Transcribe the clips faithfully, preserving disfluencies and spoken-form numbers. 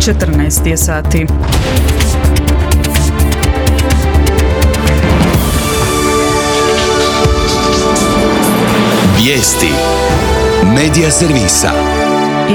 četrnaest je sati. Vijesti Medija servisa.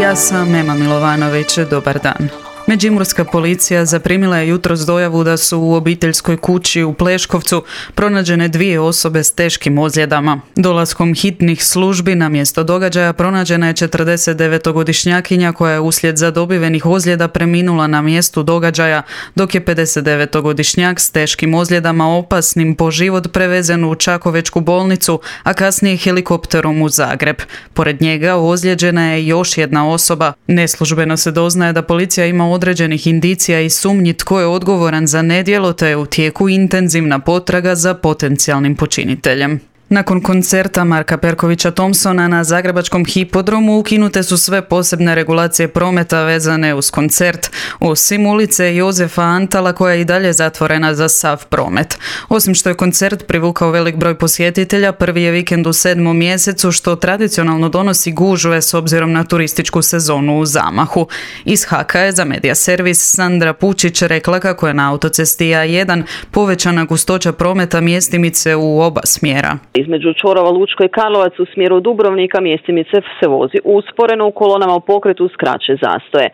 Ja sam Ema Milovanović, dobar dan. Međimurska policija zaprimila je jutros dojavu da su u obiteljskoj kući u Pleškovcu pronađene dvije osobe s teškim ozljedama. Dolaskom hitnih službi na mjesto događaja pronađena je četrdesetdevetogodišnjakinja koja je uslijed zadobivenih ozljeda preminula na mjestu događaja, dok je pedesetdevetogodišnjak s teškim ozljedama opasnim po život prevezen u Čakovečku bolnicu, a kasnije helikopterom u Zagreb. Pored njega ozlijeđena je još jedna osoba. Neslužbeno se doznaje da policija ima određenih indicija i sumnji tko je odgovoran za nedjelo, te je u tijeku intenzivna potraga za potencijalnim počiniteljem. Nakon koncerta Marka Perkovića Thompsona na zagrebačkom hipodromu ukinute su sve posebne regulacije prometa vezane uz koncert, osim ulice Jozefa Antala koja je i dalje zatvorena za sav promet. Osim što je koncert privukao velik broj posjetitelja, prvi je vikend u sedmom mjesecu što tradicionalno donosi gužve s obzirom na turističku sezonu u zamahu. Iz Haka je za Medija servis Sandra Pučić rekla kako je na autocesti A jedan povećana gustoća prometa mjestimice u oba smjera. Između čvorova Lučko i Karlovac u smjeru Dubrovnika mjestimice se vozi usporeno, u kolonama u pokretu skraće zastoje.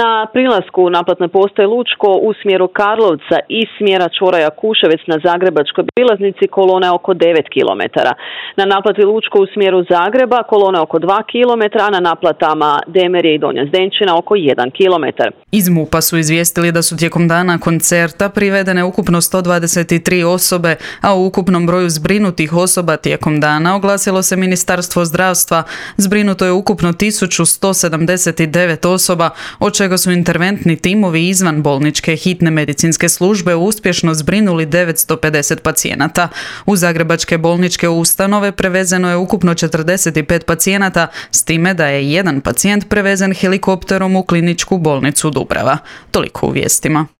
Na prilasku naplatne postaje Lučko u smjeru Karlovca i smjera čvora Jakuševec na zagrebačkoj prilaznici kolona je oko devet kilometara. Na naplati Lučko u smjeru Zagreba kolona je oko dva kilometra, a na naplatama Demerje i Donja Zdenčina oko jedan kilometar. Iz MUP-a su izvijestili da su tijekom dana koncerta privedene ukupno sto dvadeset tri osobe, a u ukupnom broju zbrinutih osoba tijekom dana oglasilo se Ministarstvo zdravstva. Zbrinuto je ukupno tisuću sto sedamdeset devet osoba, od čega su interventni timovi izvan bolničke hitne medicinske službe uspješno zbrinuli devetsto pedeset pacijenata. U zagrebačke bolničke ustanove prevezeno je ukupno četrdeset pet pacijenata, s time da je jedan pacijent prevezen helikopterom u kliničku bolnicu Dubrava. Toliko u vijestima.